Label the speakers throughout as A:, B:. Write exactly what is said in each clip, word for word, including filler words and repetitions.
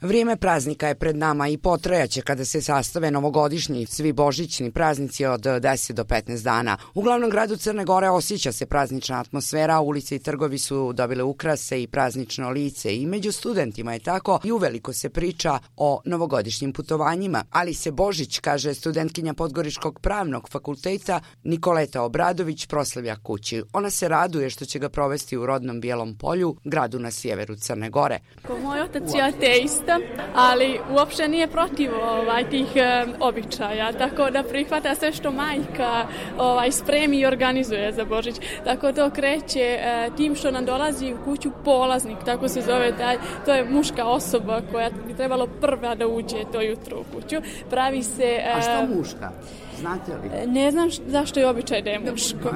A: Vrijeme praznika je pred nama i potrajaće kada se sastave novogodišnji i svi božićni praznici od deset do petnaest dana. U glavnom gradu Crne Gore osjeća se praznična atmosfera, ulice i trgovi su dobile ukrase i praznično lice i među studentima je tako i uveliko se priča o novogodišnjim putovanjima, ali se Božić, kaže studentkinja Podgoričkog pravnog fakulteta Nikoleta Obradović, proslavlja kući. Ona se raduje što će ga provesti u rodnom Bijelom Polju, gradu na sjeveru Crne Gore.
B: Moj otac je ateista, ali uopšte nije protiv ovaj, tih e, običaja, tako da prihvata sve što majka ovaj, spremi i organizuje za Božić. Tako to kreće e, tim što nam dolazi u kuću polaznik, tako se zove taj, to je muška osoba koja bi trebalo prva da uđe to jutro u kuću. Pravi se... E,
A: A što muška? Znate li?
B: Ne znam š, zašto je običaj da je muško.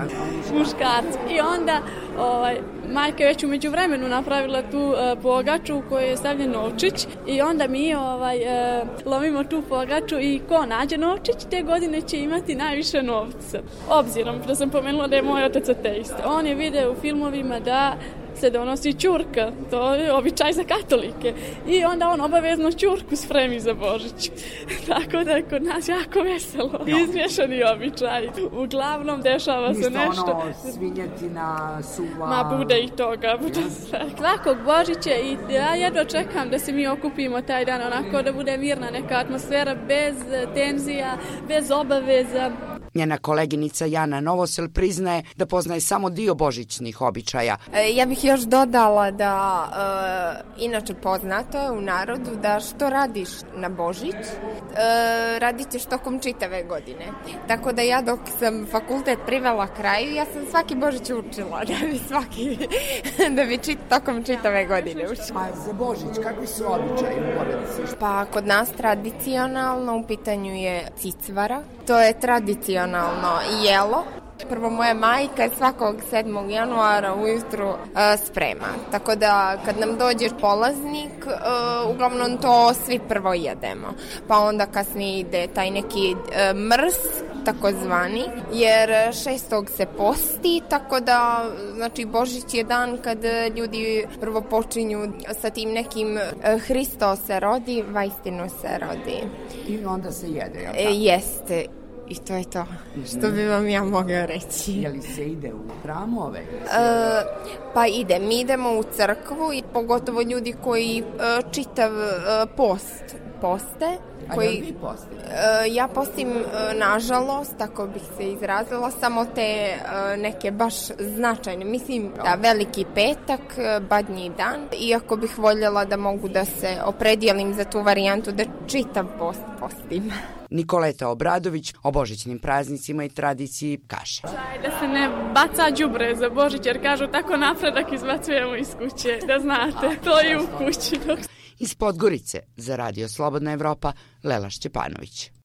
B: Muškarci. I onda ovaj, majka je već u međuvremenu napravila tu uh, pogaču u kojoj je stavljen novčić i onda mi ovaj, uh, lovimo tu pogaču i ko nađe novčić te godine će imati najviše novca. Obzirom da sam pomenula da je moj otac ateista. On je video u filmovima da se donosi ćurka, to je običaj za katolike. I onda on obavezno ćurku spremi za Božić. Tako da je kod nas jako veselo. No. Izmješani običaj. Uglavnom dešava se nešto.
A: Ništa ono svinjetina, suva...
B: Ma bude i toga. Bude sve. Svakog Božića i ja jedva čekam da se mi okupimo taj dan onako da bude mirna neka atmosfera bez tenzija, bez obaveza.
A: Njena koleginica Jana Novosel priznaje da poznaje samo dio božićnih običaja.
C: Ja bih još dodala da e, inače poznato je u narodu da što radiš na Božić, e, radit ćeš tokom čitave godine. Tako da ja dok sam fakultet privela kraju, ja sam svaki Božić učila da bi svaki da bi čit, tokom čitave godine učila.
A: A za Božić kakvi su običaji u porodici?
C: Pa kod nas tradicionalno u pitanju je cicvara. To je tradicionalno jelo. Prvo moja majka svakog sedmog januara ujutru uh, sprema. Tako da kad nam dođe polaznik, uh, uglavnom to svi prvo jedemo. Pa onda kasnije ide taj neki uh, mrs, takozvani, jer šestog se posti, tako da znači Božić je dan kad ljudi prvo počinju sa tim nekim uh, Hristo se rodi, vaistinu se rodi.
A: I onda se jede, jel' tako?
C: E, jeste. I to je to što bi vam ja mogla reći.
A: Je li se ide u hramove?
C: E, pa ide. Mi idemo u crkvu i pogotovo ljudi koji e, čitav e, post poste. Koji,
A: A jel vi postite?
C: E, ja postim, e, nažalost, tako bih se izrazila, samo te e, neke baš značajne. Mislim da Veliki petak, Badnji dan, iako bih voljela da mogu da se opredijelim za tu varijantu da čitav post postim.
A: Nikoleta Obradović o božićnim praznicima i tradiciji kaže.
B: Da se ne baca đubre za Božić, jer kažu tako napredak izbacujemo iz kuće, da znate, to je u kući.
A: Iz Podgorice za Radio Slobodna Evropa, Lela Šćepanović.